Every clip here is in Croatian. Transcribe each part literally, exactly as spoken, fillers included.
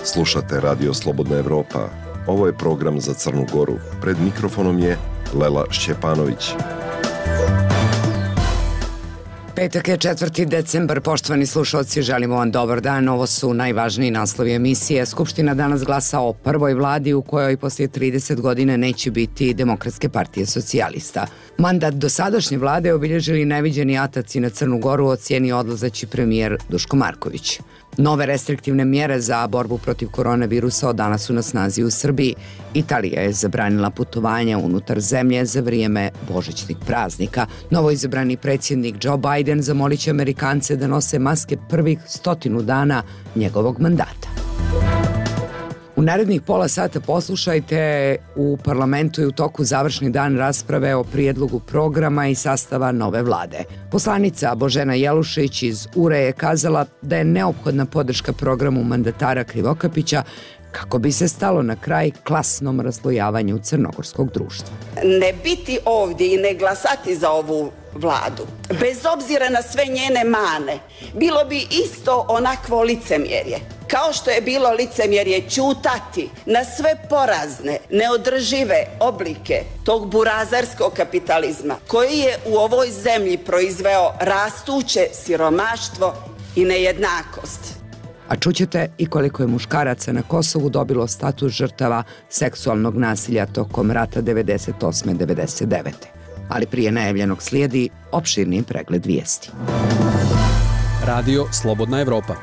Slušate Radio Slobodna Evropa. Ovo je program za Crnu Goru. Pred mikrofonom je Lela Šćepanović. Petak je četvrti decembar, poštovani slušalci, želimo vam dobar dan. Ovo su najvažniji naslovi emisije. Skupština danas glasa o prvoj vladi u kojoj poslije trideset godina neće biti Demokratske partije socijalista. Mandat dosadašnje vlade obilježili neviđeni ataci na Crnu Goru, ocijeni odlazeći premijer Duško Marković. Nove restriktivne mjere za borbu protiv koronavirusa od danas su na snazi u Srbiji. Italija je zabranila putovanja unutar zemlje za vrijeme božićnih praznika. Novoizabrani predsjednik Joe Biden zamolit će Amerikance da nose maske prvih stotinu dana njegovog mandata. U narednih pola sata poslušajte u parlamentu i u toku završni dan rasprave o prijedlogu programa i sastava nove vlade. Poslanica Božena Jelušić iz U R E je kazala da je neophodna podrška programu mandatara Krivokapića kako bi se stalo na kraj klasnom raslojavanju crnogorskog društva. Ne biti ovdje i ne glasati za ovu vladu, bez obzira na sve njene mane, bilo bi isto onakvo licemjerje. Kao što je bilo licemjerje ćutati na sve porazne, neodržive oblike tog burazerskog kapitalizma koji je u ovoj zemlji proizveo rastuće siromaštvo i nejednakost. A čućete i koliko je muškaraca na Kosovu dobilo status žrtava seksualnog nasilja tokom rata devedeset osme devedeset devete. Ali prije najavljenog slijedi opširni pregled vijesti. Radio Slobodna Evropa.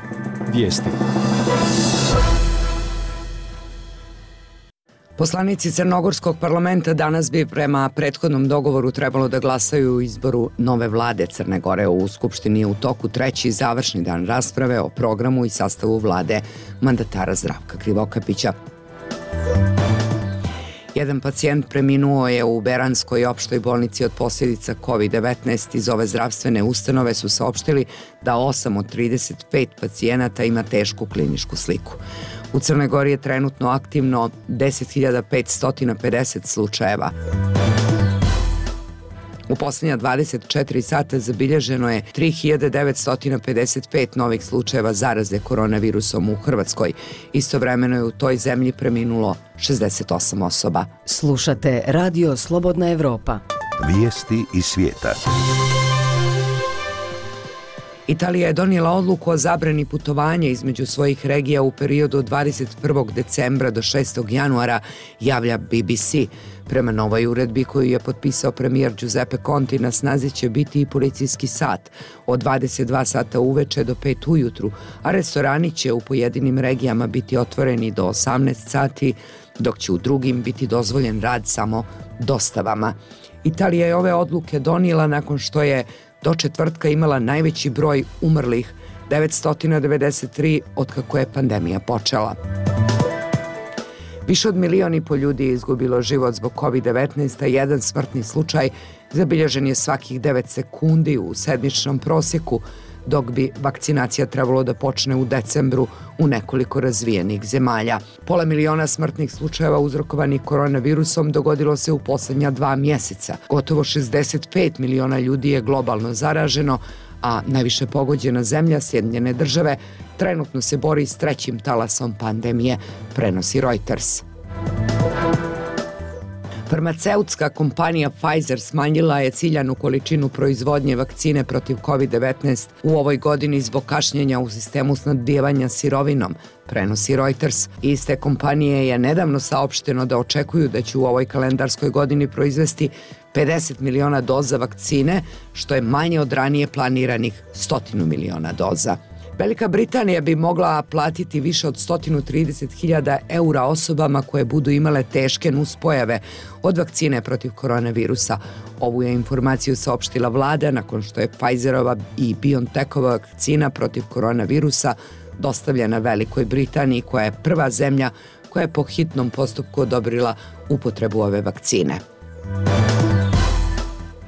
Vijesti. Poslanici Crnogorskog parlamenta danas bi prema prethodnom dogovoru trebalo da glasaju u izboru nove vlade Crne Gore. U Skupštini je u toku treći završni dan rasprave o programu i sastavu vlade mandatara Zdravka Krivokapića. Jedan pacijent preminuo je u Beranskoj opštoj bolnici od posljedica kovid devetnaest. Iz ove zdravstvene ustanove su saopštili da osam od trideset pet pacijenata ima tešku kliničku sliku. U Crnoj Gori je trenutno aktivno deset hiljada petsto pedeset slučajeva. U posljednja dvadeset četiri sata zabilježeno je tri hiljade devetsto pedeset pet novih slučajeva zaraze koronavirusom u Hrvatskoj. Istovremeno je u toj zemlji preminulo šezdeset osam osoba. Slušate Radio Slobodna Evropa. Vijesti iz svijeta. Italija je donijela odluku o zabrani putovanja između svojih regija u periodu od dvadeset prvog decembra do šestog januara, javlja B B C. Prema novoj uredbi koju je potpisao premijer Giuseppe Conte, na snazi će biti i policijski sat od dvadeset dva sata uveče do pet ujutru, a restorani će u pojedinim regijama biti otvoreni do osamnaest sati, dok će u drugim biti dozvoljen rad samo dostavama. Italija je ove odluke donijela nakon što je do četvrtka imala najveći broj umrlih, devetsto devedeset tri, otkako je pandemija počela. Više od milion i po ljudi je izgubilo život zbog kovid devetnaest, a jedan smrtni slučaj zabilježen je svakih devet sekundi u sedmičnom prosjeku, dok bi vakcinacija trebalo da počne u decembru u nekoliko razvijenih zemalja. Pola miliona smrtnih slučajeva uzrokovanih koronavirusom dogodilo se u posljednja dva mjeseca. Gotovo šezdeset pet miliona ljudi je globalno zaraženo, a najviše pogođena zemlja, Sjedinjene države, trenutno se bori s trećim talasom pandemije, prenosi Reuters. Farmaceutska kompanija Pfizer smanjila je ciljanu količinu proizvodnje vakcine protiv kovid devetnaest u ovoj godini zbog kašnjenja u sistemu snabdijevanja sirovinom, prenosi Reuters. Iste kompanije je nedavno saopšteno da očekuju da će u ovoj kalendarskoj godini proizvesti pedeset miliona doza vakcine, što je manje od ranije planiranih stotinu miliona doza. Velika Britanija bi mogla platiti više od sto trideset hiljada eura osobama koje budu imale teške nuspojave od vakcine protiv koronavirusa. Ovu je informaciju saopštila vlada nakon što je Pfizerova i BioNTechova vakcina protiv koronavirusa dostavljena Velikoj Britaniji, koja je prva zemlja koja je po hitnom postupku odobrila upotrebu ove vakcine.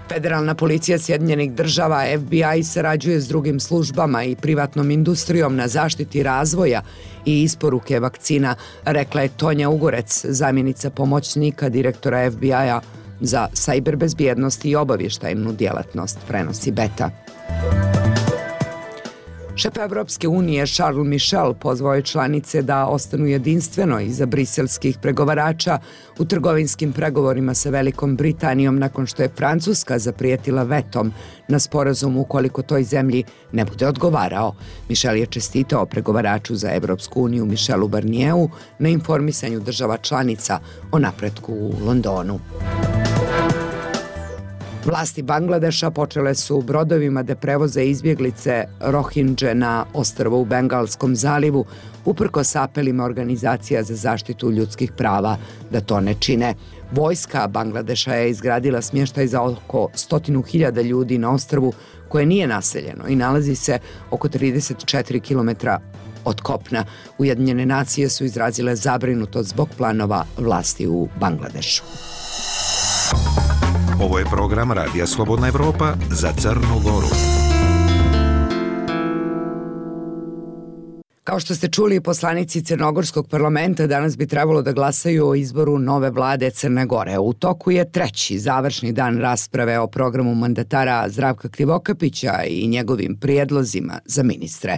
Federalna policija Sjedinjenih država F B I sarađuje s drugim službama i privatnom industrijom na zaštiti razvoja i isporuke vakcina, rekla je Tonja Ugorec, zamjenica pomoćnika direktora F B I-a za sajber bezbjednost i obavještajnu djelatnost, prenosi Beta. Šef Evropske unije Charles Michel pozvao je članice da ostanu jedinstveno iza briselskih pregovarača u trgovinskim pregovorima sa Velikom Britanijom nakon što je Francuska zaprijetila vetom na sporazum ukoliko toj zemlji ne bude odgovarao. Michel je čestitao pregovaraču za Evropsku uniju Michelu Barnieru na informisanju država članica o napretku u Londonu. Vlasti Bangladeša počele su brodovima da prevoze izbjeglice Rohingje na ostrvo u Bengalskom zalivu, uprkos apelima organizacija za zaštitu ljudskih prava da to ne čine. Vojska Bangladeša je izgradila smještaj za oko stotinu hiljada ljudi na ostrvu koje nije naseljeno i nalazi se oko trideset četiri kilometra od kopna. Ujedinjene nacije su izrazile zabrinutost zbog planova vlasti u Bangladešu. Ovo je program Radija Slobodna Evropa za Crnu Goru. Kao što ste čuli, poslanici Crnogorskog parlamenta danas bi trebalo da glasaju o izboru nove vlade Crne Gore. U toku je treći završni dan rasprave o programu mandatara Zdravka Krivokapića i njegovim prijedlozima za ministre.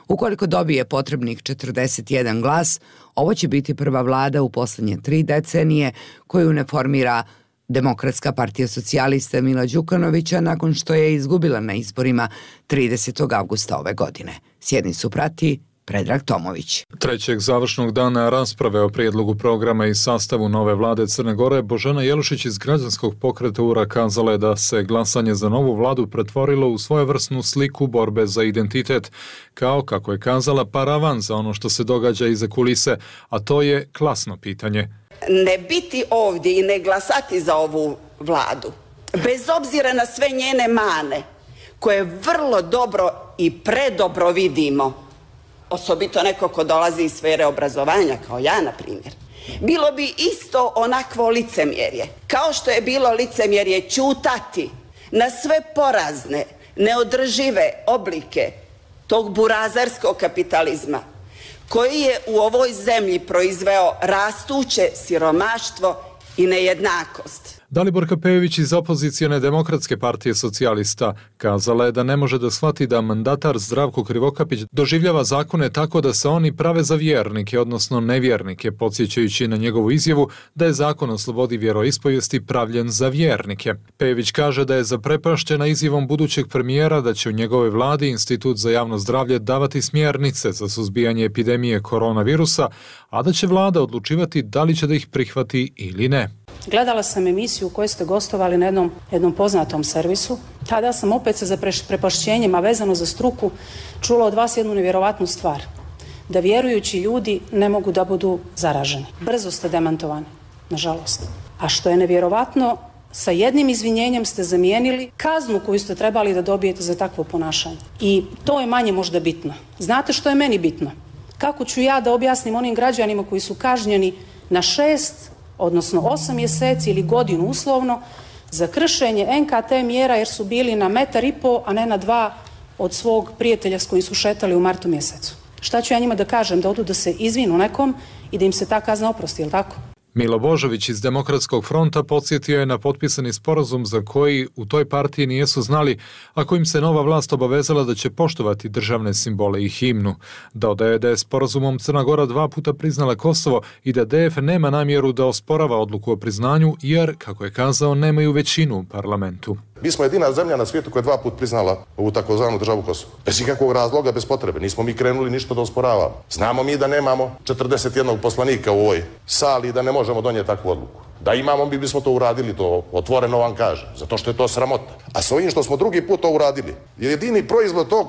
Ukoliko dobije potrebnih četrdeset jedan glas, ovo će biti prva vlada u posljednje tri decenije koju ne formira Demokratska partija socijalista Mila Đukanovića nakon što je izgubila na izborima tridesetog avgusta ove godine. Sjednicu prati Predrag Tomović. Trećeg završnog dana rasprave o prijedlogu programa i sastavu nove vlade Crne Gore, Božena Jelušić iz građanskog pokreta U R A kazala je da se glasanje za novu vladu pretvorilo u svojevrsnu sliku borbe za identitet, kao, kako je kazala, paravan za ono što se događa iza kulise, a to je klasno pitanje. Ne biti ovdje i ne glasati za ovu vladu, bez obzira na sve njene mane, koje vrlo dobro i predobro vidimo, osobito neko ko dolazi iz sfere obrazovanja, kao ja, na primjer, bilo bi isto onakvo licemjerje, kao što je bilo licemjerje ćutati na sve porazne, neodržive oblike tog burazerskog kapitalizma, koji je u ovoj zemlji proizveo rastuće siromaštvo i nejednakost. Daliborka Pejović iz opozicijone Demokratske partije socijalista kazala je da ne može da shvati da mandatar Zdravko Krivokapić doživljava zakone tako da se oni prave za vjernike, odnosno nevjernike, podsjećajući na njegovu izjavu da je zakon o slobodi vjeroispovijesti pravljen za vjernike. Pejović kaže da je zaprepašćena izjavom budućeg premijera da će u njegovoj vladi Institut za javno zdravlje davati smjernice za suzbijanje epidemije koronavirusa, a da će vlada odlučivati da li će da ih prihvati ili ne. Gledala sam emisiju u kojoj ste gostovali na jednom, jednom poznatom servisu. Tada sam opet sa zaprepašćenjem, a vezano za struku, čula od vas jednu nevjerovatnu stvar. Da vjerujući ljudi ne mogu da budu zaraženi. Brzo ste demantovani, nažalost. A što je nevjerovatno, sa jednim izvinjenjem ste zamijenili kaznu koju ste trebali da dobijete za takvo ponašanje. I to je manje možda bitno. Znate što je meni bitno? Kako ću ja da objasnim onim građanima koji su kažnjeni na šest odnosno osam mjeseci ili godinu uslovno za kršenje en ka te mjera jer su bili na metar i po, a ne na dva od svog prijatelja s kojim su šetali u martu mjesecu. Šta ću ja njima da kažem? Da odu da se izvinu nekom i da im se ta kazna oprosti, jel tako? Milo Božović iz Demokratskog fronta podsjetio je na potpisani sporazum za koji u toj partiji nijesu znali, a kojim se nova vlast obavezala da će poštovati državne simbole i himnu. Dodaje da je sporazumom Crna Gora dva puta priznala Kosovo i da de ef nema namjeru da osporava odluku o priznanju jer, kako je kazao, nemaju većinu u parlamentu. Mi smo jedina zemlja na svijetu koja je dva put priznala ovu takozvanu državu Kosovo. Bez ikakvog razloga, bez potrebe. Nismo mi krenuli ništa da osporavamo. Znamo mi da nemamo četrdeset jedan poslanika u ovoj sali i da ne možemo donijeti takvu odluku. Da imamo, mi bismo to uradili, to otvoreno vam kažem, zato što je to sramota. A s ovim što smo drugi put to uradili, jedini proizvod tog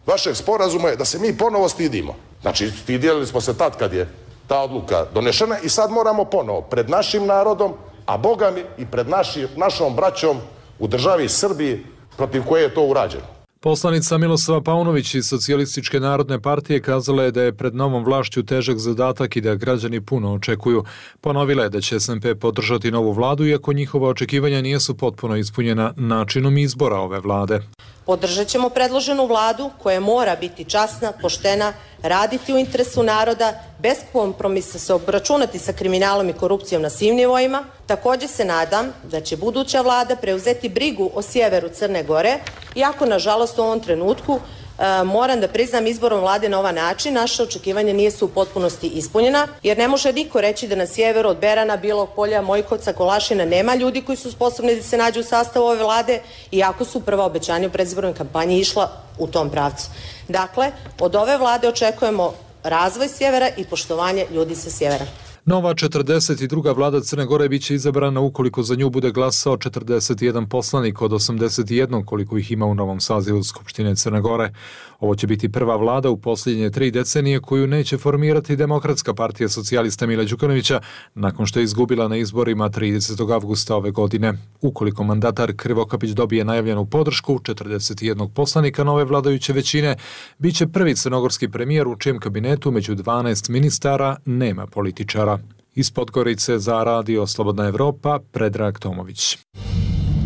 vašeg sporazuma je da se mi ponovo stidimo. Znači, stidjeli smo se tad kad je ta odluka donešena i sad moramo ponovo pred našim narodom, a Boga mi i pred naši, našom braćom u državi Srbiji protiv koje je to urađeno. Poslanica Miloslava Paunović iz Socijalističke narodne partije kazala je da je pred novom vlašću težak zadatak i da građani puno očekuju. Ponovila je da će es en pe podržati novu vladu iako njihova očekivanja nijesu potpuno ispunjena načinom izbora ove vlade. Podržat ćemo predloženu vladu koja mora biti časna, poštena, raditi u interesu naroda, bez kompromisa se obračunati sa kriminalom i korupcijom na svim nivoima. Također se nadam da će buduća vlada preuzeti brigu o sjeveru Crne Gore, iako nažalost u ovom trenutku E, moram da priznam, izborom vlade na ovaj način naše očekivanja nisu u potpunosti ispunjena, jer ne može niko reći da na sjeveru od Berana, Bilog Polja, Mojkovca, Kolašina nema ljudi koji su sposobni da se nađu u sastavu ove vlade, iako su prva obećanja u predizbornoj kampanji išla u tom pravcu. Dakle, od ove vlade očekujemo razvoj sjevera i poštovanje ljudi sa sjevera. Nova četrdeset druga vlada Crne Gore biće izabrana ukoliko za nju bude glasao četrdeset jedan poslanik od osamdeset jedan koliko ih ima u novom sazivu Skupštine Crne Gore. Ovo će biti prva vlada u posljednje tri decenije koju neće formirati Demokratska partija socijalista Mila Đukanovića nakon što je izgubila na izborima tridesetog avgusta ove godine. Ukoliko mandatar Krivokapić dobije najavljenu podršku četrdeset jedan poslanika nove vladajuće većine, bit će prvi crnogorski premijer u čijem kabinetu među dvanaest ministara nema političara. Iz Podgorice za Radio Slobodna Evropa, Predrag Tomović.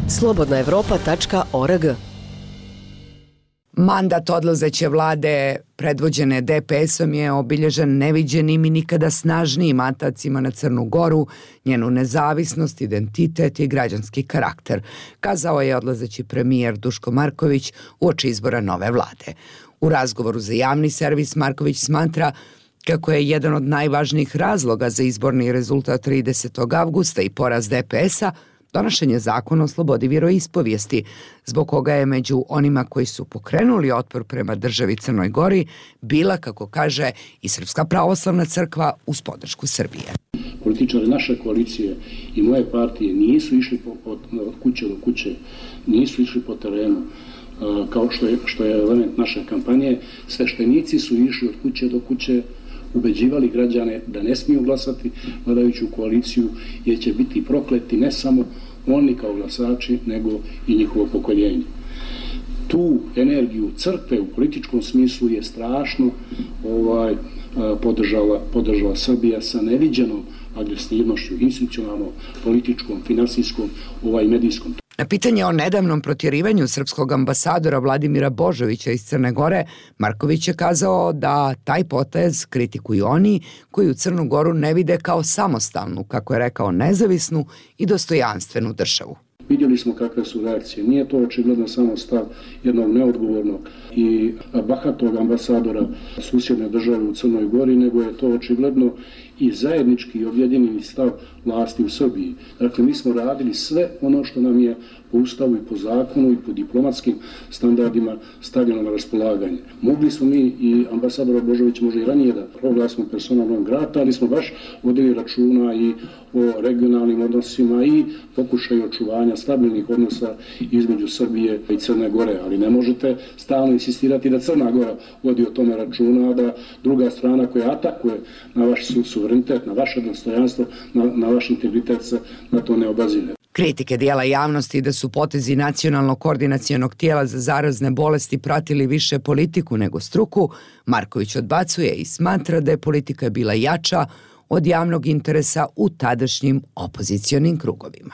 slobodna evropa tačka org. Mandat odlazeće vlade predvođene de pe esom je obilježen neviđenim i nikada snažnijim atacima na Crnu Goru, njenu nezavisnost, identitet i građanski karakter, kazao je odlazeći premijer Duško Marković uoči izbora nove vlade. U razgovoru za javni servis Marković smatra kako je jedan od najvažnijih razloga za izborni rezultat tridesetog avgusta i poraz de pe esa donošenje zakona o slobodi vjeroispovijesti, zbog koga je među onima koji su pokrenuli otpor prema državi Crnoj Gori bila, kako kaže, i Srpska pravoslavna crkva uz podršku Srbije. Političari naše koalicije i moje partije nisu išli po, od, od kuće do kuće, nisu išli po terenu, kao što je, što je element naše kampanje. Sveštenici su išli od kuće do kuće, ubeđivali građane da ne smiju glasati vladajuću koaliciju, jer će biti prokleti ne samo oni kao glasači, nego i njihovo pokoljenje. Tu energiju crkve u političkom smislu je strašno ovaj, podržala, podržala Srbija sa neviđenom agresivnošću, institucionalnom, političkom, finansijskom, ovaj medijskom. Na pitanje o nedavnom protjerivanju srpskog ambasadora Vladimira Božovića iz Crne Gore, Marković je kazao da taj potez kritikuju oni koji u Crnu Goru ne vide kao samostalnu, kako je rekao, nezavisnu i dostojanstvenu državu. Vidjeli smo kakve su reakcije. Nije to očigledno samo stav jednog neodgovornog i bahatog ambasadora susjedne države u Crnoj Gori, nego je to očigledno i zajednički i objedinjeni stav vlasti u Srbiji. Dakle, mi smo radili sve ono što nam je po ustavu i po zakonu i po diplomatskim standardima stavljeno na raspolaganje. Mogli smo mi i ambasadora Božovića možda i ranije da proglasimo persona non grata, ali smo baš vodili računa i o regionalnim odnosima i pokušaju očuvanja stabilnih odnosa između Srbije i Crne Gore. Ali ne možete stalno insistirati da Crna Gora vodi o tome računa, a da druga strana koja atakuje na vaš suverenitet, na vaše dostojanstvo, na, na vaš integritet se na to ne obazire. Kritike dijela javnosti da su potezi Nacionalnog koordinacionog tijela za zarazne bolesti pratili više politiku nego struku, Marković odbacuje i smatra da je politika bila jača od javnog interesa u tadašnjim opozicionim krugovima.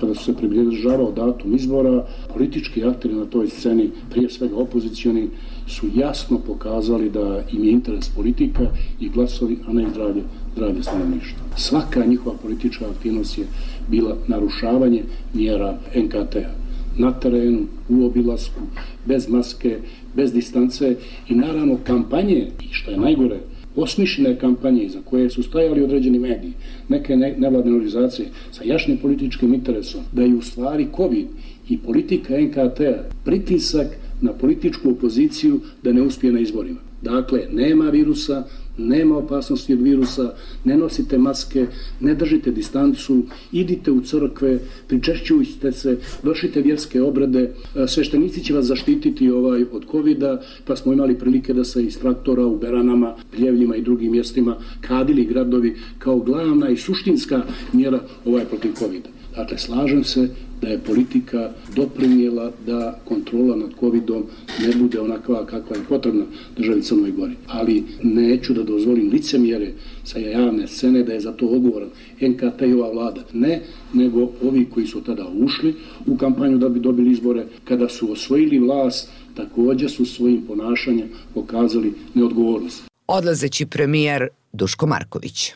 Kada su se približavao datum izbora, politički akteri na toj sceni, prije svega opozicioni, su jasno pokazali da im je interes politika i glasovi, a ne i zdravlje, zdravlje stanovništva. Svaka njihova politička aktivnost je bila narušavanje mjera en ka te a. Na terenu, u obilasku, bez maske, bez distance i naravno kampanje, i što je najgore, osmišljene kampanje za koje su stajali određeni mediji, neke nevladne organizacije sa jašnim političkim interesom, da je u stvari COVID i politika en ka te a pritisak na političku opoziciju da ne uspije na izborima. Dakle, nema virusa, nema opasnosti od virusa, ne nosite maske, ne držite distancu, idite u crkve, pričešćujte se, vršite vjerske obrede, sveštenici će vas zaštititi ovaj od covida, pa smo imali prilike da se iz traktora u Beranama, Pljevljima i drugim mjestima kadili gradovi kao glavna i suštinska mjera ovaj protiv covida. Dakle, slažem se da je politika doprinijela da kontrola nad covidom ne bude onakva kakva je potrebna državi Crnoj Gori. Ali neću da dozvolim licemjere sa javne scene da je za to odgovoran en ka te a i ova vlada. Ne, nego ovi koji su tada ušli u kampanju da bi dobili izbore, kada su osvojili vlast, također su svojim ponašanjem pokazali neodgovornost. odlazeći premijer Duško Marković.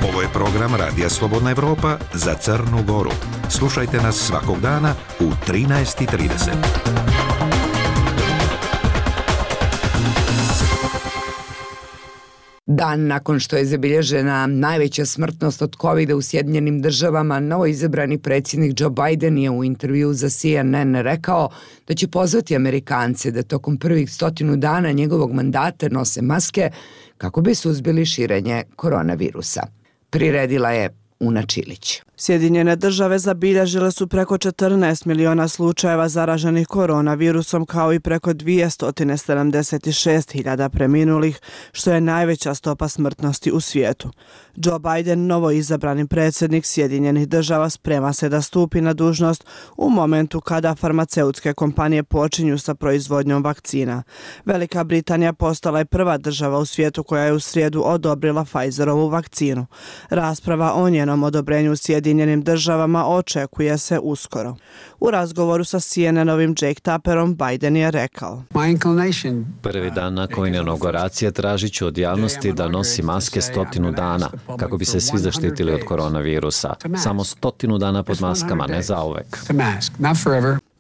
Ovo je program Radija Slobodna Evropa za Crnu Goru. Slušajte nas svakog dana u trinaest i trideset. Dan nakon što je zabilježena najveća smrtnost od kovida u Sjedinjenim državama, novoizabrani predsjednik Joe Biden je u intervju za C N N rekao da će pozvati Amerikance da tokom prvih stotinu dana njegovog mandata nose maske kako bi suzbili širenje koronavirusa. Priredila je Una Čilić. Sjedinjene države zabilježile su preko četrnaest miliona slučajeva zaraženih koronavirusom kao i preko dvjesto sedamdeset šest hiljada preminulih, što je najveća stopa smrtnosti u svijetu. Joe Biden, novoizabrani predsjednik Sjedinjenih država, sprema se da stupi na dužnost u momentu kada farmaceutske kompanije počinju sa proizvodnjom vakcina. Velika Britanija postala je prva država u svijetu koja je u srijedu odobrila Pfizerovu vakcinu. Rasprava o njenom odobrenju u Sjedinjenim državama očekuje se uskoro. U razgovoru sa C N N-ovim Jake Tapperom Biden je rekao: Prvi dan nakon inauguracije tražit ću od javnosti da nosi maske stotinu dana kako bi se svi zaštitili od koronavirusa. Samo stotinu dana pod maskama, ne zauvek.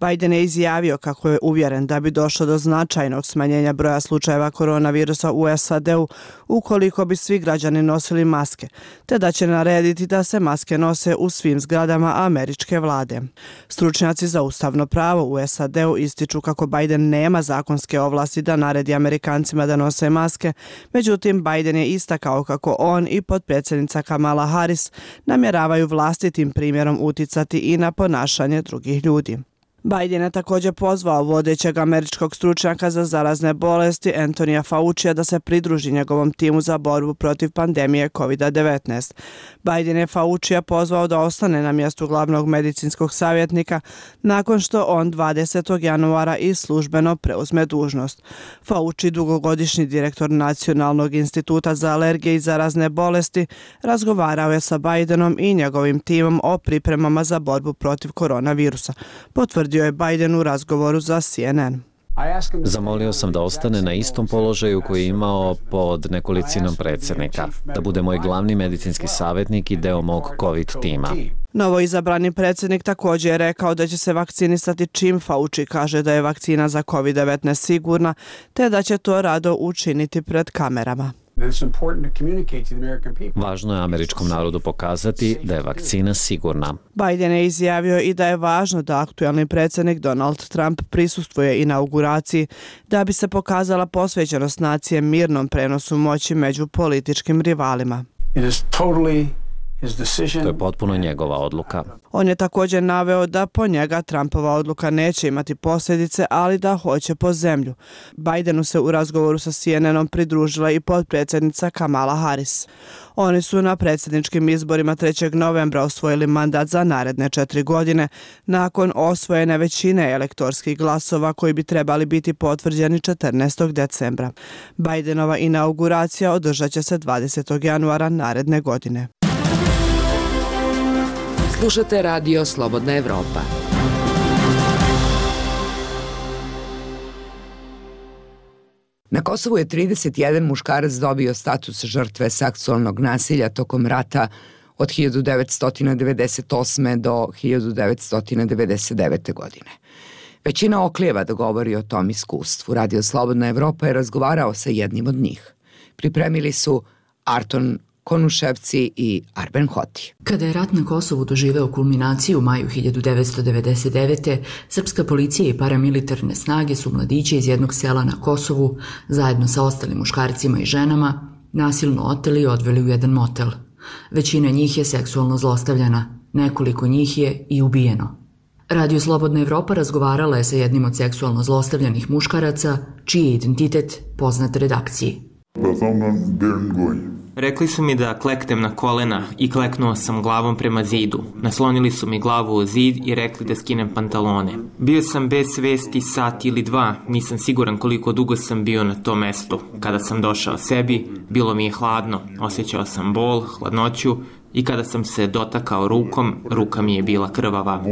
Biden je izjavio kako je uvjeren da bi došlo do značajnog smanjenja broja slučajeva koronavirusa u S A D-u ukoliko bi svi građani nosili maske, te da će narediti da se maske nose u svim zgradama američke vlade. Stručnjaci za ustavno pravo u S A D-u ističu kako Biden nema zakonske ovlasti da naredi Amerikancima da nose maske, međutim Biden je istakao kako on i potpredsjednica Kamala Harris namjeravaju vlastitim primjerom uticati i na ponašanje drugih ljudi. Biden je također pozvao vodećeg američkog stručnjaka za zarazne bolesti Antonija Faucija da se pridruži njegovom timu za borbu protiv pandemije kovid devetnaest. Biden je Faucija pozvao da ostane na mjestu glavnog medicinskog savjetnika nakon što on dvadesetog januara i službeno preuzme dužnost. Fauci, dugogodišnji direktor Nacionalnog instituta za alergije i zarazne bolesti, razgovarao je sa Bidenom i njegovim timom o pripremama za borbu protiv koronavirusa. Potvrdio je Biden u razgovoru za C N N. Zamolio sam da ostane na istom položaju koji je imao pod nekolicinom predsjednika, da bude moj glavni medicinski savjetnik i deo mog COVID tima. Novoizabrani predsjednik također je rekao da će se vakcinisati čim Fauci kaže da je vakcina za kovid devetnaest sigurna, te da će to rado učiniti pred kamerama. Važno je američkom narodu pokazati da je vakcina sigurna. Biden je izjavio i da je važno da aktualni predsjednik Donald Trump prisustvuje inauguraciji da bi se pokazala posvećenost nacije mirnom prenosu moći među političkim rivalima. To je potpuno njegova odluka. On je također naveo da po njega Trumpova odluka neće imati posljedice, ali da hoće po zemlju. Bidenu se u razgovoru sa C N N-om pridružila i potpredsjednica Kamala Harris. Oni su na predsjedničkim izborima trećeg novembra osvojili mandat za naredne četiri godine, nakon osvojene većine elektorskih glasova koji bi trebali biti potvrđeni četrnaestog decembra. Bidenova inauguracija održat će se dvadesetog januara naredne godine. Slušate Radio Slobodna Evropa. Na Kosovu je trideset jedan muškarac dobio status žrtve seksualnog nasilja tokom rata od hiljadu devetsto devedeset osme. do hiljadu devetsto devedeset devete. godine. Većina oklijeva da govori o tom iskustvu. Radio Slobodna Evropa je razgovarao sa jednim od njih. Pripremili su Arton Konuševci i Arben Hoti. Kada je rat na Kosovu doživeo kulminaciju u maju hiljadu devetsto devedeset devete. srpska policija i paramilitarne snage su mladiće iz jednog sela na Kosovu, zajedno sa ostalim muškarcima i ženama, nasilno oteli i odveli u jedan motel. Većina njih je seksualno zlostavljana, nekoliko njih je i ubijeno. Radio Slobodna Evropa razgovarala je sa jednim od seksualno zlostavljanih muškaraca, čiji je identitet poznat redakciji. Rekli su mi da kleknem na kolena i kleknuo sam glavom prema zidu. Naslonili su mi glavu u zid i rekli da skinem pantalone. Bio sam bez svesti sat ili dva, nisam siguran koliko dugo sam bio na tom mestu. Kada sam došao sebi, bilo mi je hladno, osjećao sam bol, hladnoću i kada sam se dotakao rukom, ruka mi je bila krvava.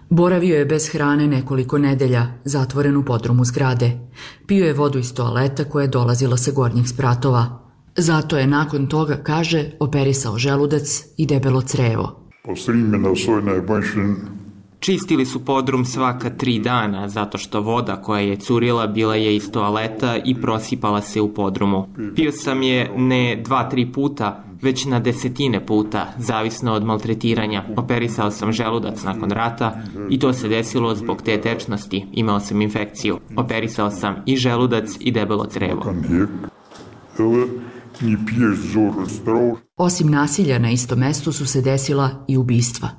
Boravio je bez hrane nekoliko nedelja, zatvoren u podrumu zgrade. Pio je vodu iz toaleta koja je dolazila sa gornjih spratova. Zato je nakon toga, kaže, operisao želudac i debelo crevo. Čistili su podrum svaka tri dana, zato što voda koja je curila bila je iz toaleta i prosipala se u podrumu. Pio sam je ne dva, tri puta, već na desetine puta, zavisno od maltretiranja. Operisao sam želudac nakon rata i to se desilo zbog te tečnosti. Imao sam infekciju. Operisao sam i želudac i debelo crevo. Osim nasilja na istom mestu su se desila i ubistva.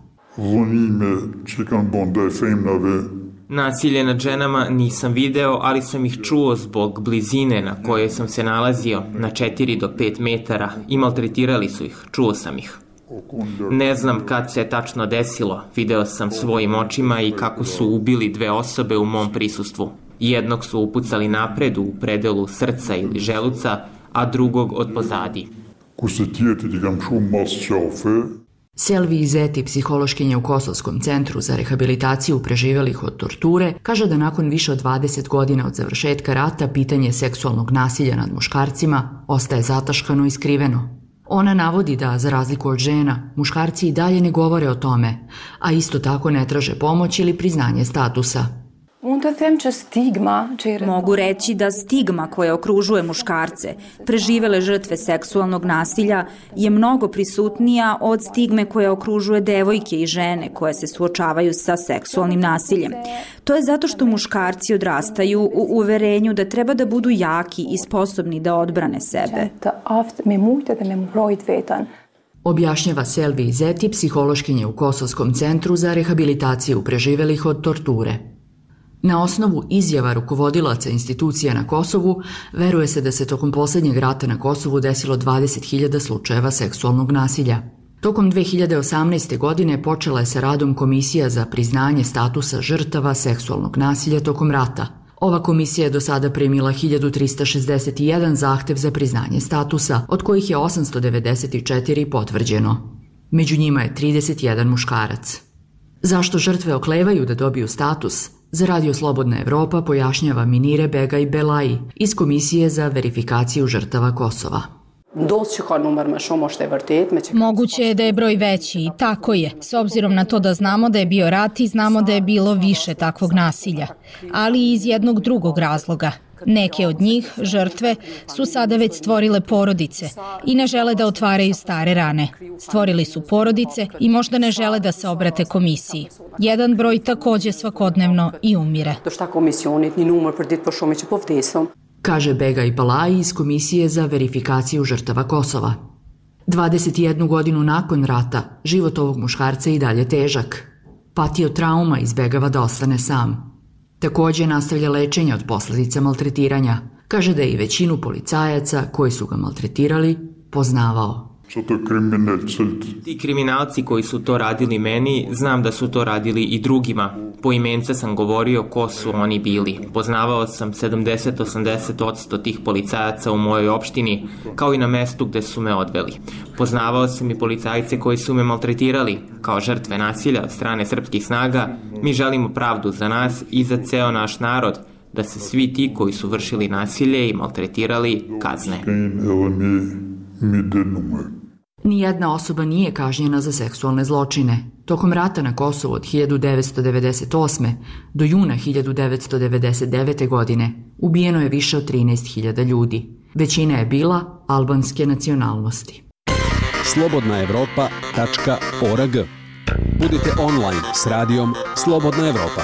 Nasilje nad ženama nisam video, ali sam ih čuo zbog blizine na kojoj sam se nalazio, na četiri do pet metara, i maltretirali su ih, čuo sam ih. Ne znam kad se je tačno desilo, video sam svojim očima i kako su ubili dve osobe u mom prisustvu. Jednog su upucali napred u predelu srca ili želuca, a drugog od pozadi. Selvi Izeti, psihološkinja u Kosovskom centru za rehabilitaciju preživelih od torture, kaže da nakon više od dvadeset godina od završetka rata pitanje seksualnog nasilja nad muškarcima ostaje zataškano i skriveno. Ona navodi da, za razliku od žena, muškarci i dalje ne govore o tome, a isto tako ne traže pomoć ili priznanje statusa. Mogu reći da stigma koja okružuje muškarce, preživele žrtve seksualnog nasilja, je mnogo prisutnija od stigme koja okružuje devojke i žene koje se suočavaju sa seksualnim nasiljem. To je zato što muškarci odrastaju u uverenju da treba da budu jaki i sposobni da odbrane sebe. Objašnjava Selvi Izeti, psihološkinja u Kosovskom centru za rehabilitaciju preživelih od torture. Na osnovu izjava rukovodilaca institucija na Kosovu, veruje se da se tokom posljednjeg rata na Kosovu desilo dvadeset hiljada slučajeva seksualnog nasilja. Tokom dve hiljade osamnaeste. godine počela je sa radom Komisija za priznanje statusa žrtava seksualnog nasilja tokom rata. Ova komisija je do sada primila hiljadu trista šezdeset jedan zahtev za priznanje statusa, od kojih je osamsto devedeset četiri potvrđeno. Među njima je trideset jedan muškarac. Zašto žrtve oklevaju da dobiju status? Za Radio Slobodna Evropa pojašnjava Minire Begaj Belaji iz Komisije za verifikaciju žrtava Kosova. Moguće je da je broj veći i tako je, s obzirom na to da znamo da je bio rat i znamo da je bilo više takvog nasilja, ali i iz jednog drugog razloga. Neke od njih, žrtve, su sada već stvorile porodice i ne žele da otvaraju stare rane. Stvorili su porodice i možda ne žele da se obrate komisiji. Jedan broj takođe svakodnevno i umire. Kaže Begaj Belaji iz Komisije za verifikaciju žrtava Kosova. dvadeset jednu godinu nakon rata, život ovog muškarca je i dalje težak. Patio trauma, izbegava da ostane sam. Takođe nastavlja lečenje od posljedica maltretiranja. Kaže da je i većinu policajaca koji su ga maltretirali poznavao. Ti kriminalci koji su to radili meni, znam da su to radili i drugima. Poimence sam govorio ko su oni bili. Poznavao sam sedamdeset do osamdeset posto tih policajaca u mojoj opštini, kao i na mestu gde su me odveli. Poznavao sam i policajce koji su me maltretirali. Kao žrtve nasilja od strane srpskih snaga, mi želimo pravdu za nas i za ceo naš narod, da se svi ti koji su vršili nasilje i maltretirali kazne. Nijedna osoba nije kažnjena za seksualne zločine. Tokom rata na Kosovu od hiljadu devetsto devedeset osme. do juna hiljadu devetsto devedeset devete. godine ubijeno je više od trinaest hiljada ljudi. Većina je bila albanske nacionalnosti. slobodna evropa tačka org. Budite online s radijom Slobodna Evropa.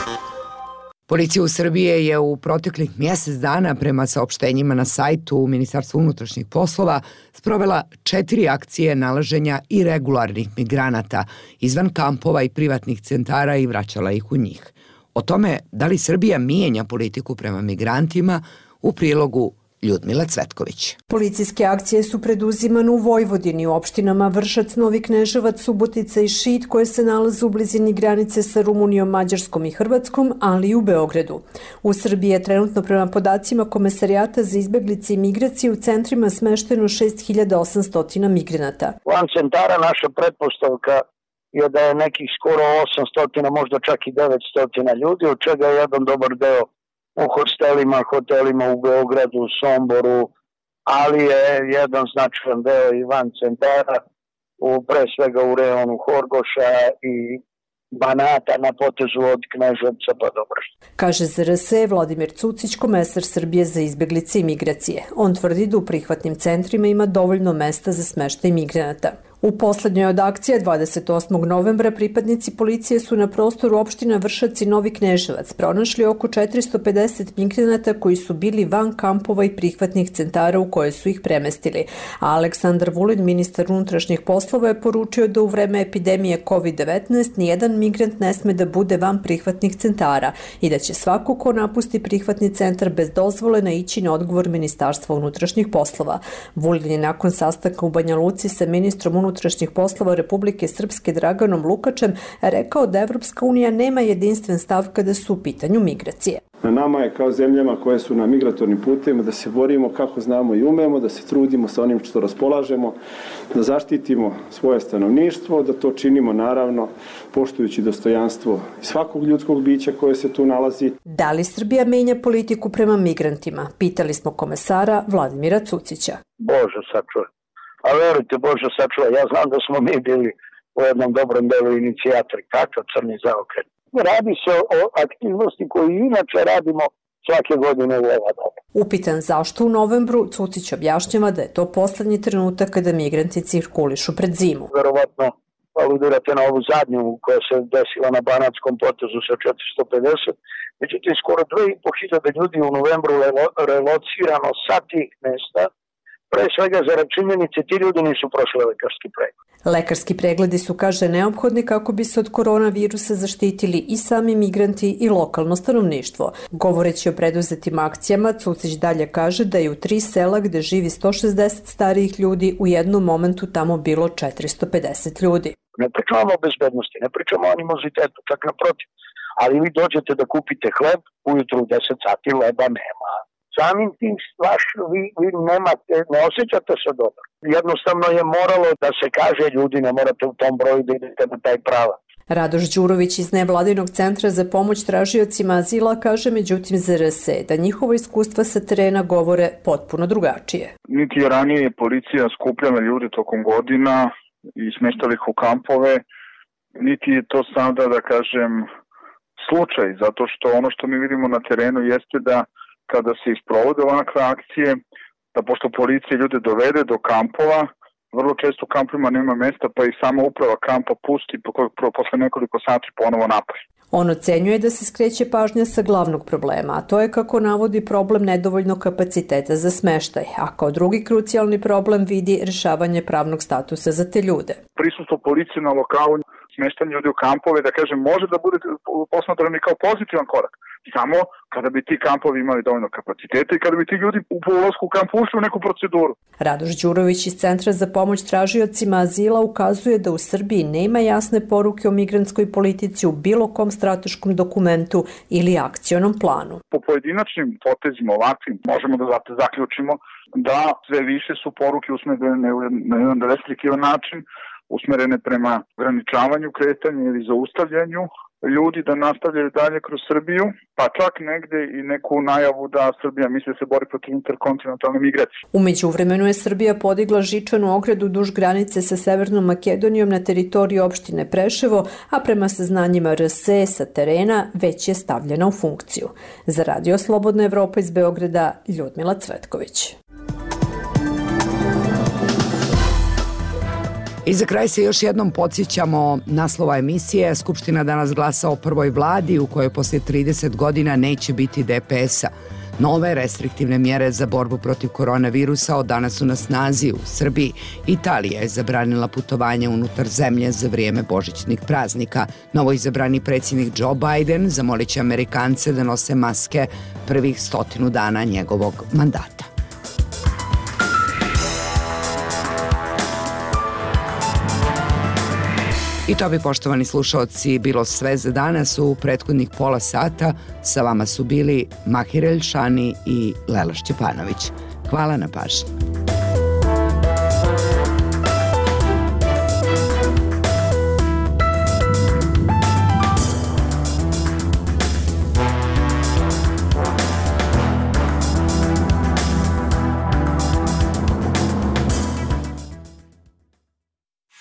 Policija u Srbije je u proteklih mjesec dana prema saopštenjima na sajtu Ministarstva unutrašnjih poslova sprovela četiri akcije nalaženja irregularnih migranata izvan kampova i privatnih centara i vraćala ih u njih. O tome da li Srbija mijenja politiku prema migrantima u prilogu Ljudmila Cvetković. Policijske akcije su preduzimane u Vojvodini, u opštinama Vršac, Novi Kneževac, Subotica i Šid, koje se nalaze u blizini granice sa Rumunijom, Mađarskom i Hrvatskom, ali i u Beogradu. U Srbiji je trenutno prema podacima Komesarijata za izbeglice i migracije u centrima smešteno šest hiljada osamsto migranata. Van centara naša pretpostavka je da je nekih skoro osamsto, možda čak i devetsto ljudi, od čega je jedan dobar deo u hostelima, hotelima u Beogradu, u Somboru, ali je jedan značajan deo i van centara, u, pre svega u rejonu Horgoša i Banata na potezu od Kneževca pa do Bršća. Kaže Z R S Vladimir Cucić, komesar Srbije za izbeglice i migracije. On tvrdi da u prihvatnim centrima ima dovoljno mesta za smeštaj migranata. U poslednjoj od akcije dvadeset osmog novembra pripadnici policije su na prostoru opština Vršac i Novi Kneževac pronašli oko četiristo pedeset migranata koji su bili van kampova i prihvatnih centara u koje su ih premestili. A Aleksandar Vulin, ministar unutrašnjih poslova, je poručio da u vreme epidemije kovid devetnaest nijedan migrant ne sme da bude van prihvatnih centara i da će svako ko napusti prihvatni centar bez dozvole naići na odgovor Ministarstva unutrašnjih poslova. Vulin je nakon sastanka u Banja Luci sa ministrom unutrašnjih poslova Republike Srpske Draganom Lukačem rekao da Evropska unija nema jedinstven stav kada su u pitanju migracije. Na nama je kao zemljama koje su na migratornim putevima da se borimo kako znamo i umemo, da se trudimo sa onim što raspolažemo, da zaštitimo svoje stanovništvo, da to činimo naravno poštujući dostojanstvo svakog ljudskog bića koje se tu nalazi. Da li Srbija menja politiku prema migrantima? Pitali smo komesara Vladimira Cucića. Bože sačuvaj. A verujte, Bože sačuvaj, ja znam da smo mi bili u jednom dobrom delu inicijatori. Kakav crni zaokret. Radi se o aktivnosti koju inače radimo svake godine u ova doba. Upitan zašto u novembru, Cucić objašnjava da je to poslednji trenutak kada migranti cirkulišu pred zimu. Verovatno aludirate na ovu zadnju koja se desila na Banatskom potezu sa četiristo pedeset. Međutim, skoro dve i po hiljade ljudi u novembru relocirano sa tih mesta. Pre svega za činjenice, ti ljudi nisu prošli lekarski pregled. Lekarski pregledi su, kaže, neophodni kako bi se od koronavirusa zaštitili i sami migranti i lokalno stanovništvo. Govoreći o preduzetim akcijama, Cucić dalje kaže da je u tri sela gde živi sto šezdeset starijih ljudi u jednom momentu tamo bilo četiristo pedeset ljudi. Ne pričamo o bezbednosti, ne pričamo o animozitetu, čak naprotiv. Ali vi dođete da kupite hleb, ujutru u deset sati leba nema. Samim tim stvaš, vi, vi nemate, ne osjećate se dobro. Jednostavno je moralo da se kaže ljudi ne morate u tom broju da idete na taj pravac. Radoš Đurović iz Nevladinog centra za pomoć tražiocima azila kaže međutim Z R S da njihova iskustva sa terena govore potpuno drugačije. Niti je ranije policija skupljala ljude tokom godina i smeštala ih u kampove, niti je to sada, da kažem, slučaj, zato što ono što mi vidimo na terenu jeste da kada se isprovode ovakve akcije, da pošto policija ljude dovede do kampova, vrlo često u kampovima nema mesta, pa i sama uprava kampa pusti posle nekoliko sati ponovo napad. On ocenjuje da se skreće pažnja sa glavnog problema, a to je, kako navodi, problem nedovoljnog kapaciteta za smeštaj, a kao drugi krucijalni problem vidi rešavanje pravnog statusa za te ljude. Prisustvo policije na lokalu, smeštanje ljudi u kampove, da kažem, može da bude posmatrani kao pozitivan korak. Samo kada bi ti kampovi imali dovoljno kapaciteta i kada bi ti ljudi u ulasku u kamp ušli u neku proceduru. Radoš Đurović iz Centra za pomoć tražiocima azila ukazuje da u Srbiji nema jasne poruke o migrantskoj politici u bilo kom strateškom dokumentu ili akcionom planu. Po pojedinačnim potezima ovakvim možemo da zaključimo da sve više su poruke usmerene na jedan restriktivan način, usmerene prema ograničavanju kretanja ili zaustavljanju ljudi da nastavljaju dalje kroz Srbiju, pa čak negde i neku najavu da Srbija misli se bori protiv interkontinentalne migracije. U međuvremenu je Srbija podigla žičanu ogradu duž granice sa Severnom Makedonijom na teritoriji opštine Preševo, a prema saznanjima R S E sa terena već je stavljena u funkciju. Za Radio Slobodna Evropa iz Beograda, Ljudmila Cvetković. I za kraj se još jednom podsjećamo naslova emisije. Skupština danas glasa o prvoj vladi u kojoj poslije trideset godina neće biti D P S-a. Nove restriktivne mjere za borbu protiv koronavirusa od danas su na snazi u Srbiji. Italija je zabranila putovanje unutar zemlje za vrijeme božićnih praznika. Novoizabrani predsjednik Joe Biden zamolit će Amerikance da nose maske prvih stotinu dana njegovog mandata. I to bi, poštovani slušaoci, bilo sve za danas. U prethodnih pola sata sa vama su bili Mahir Elšani i Lela Šćepanović. Hvala na pažnji.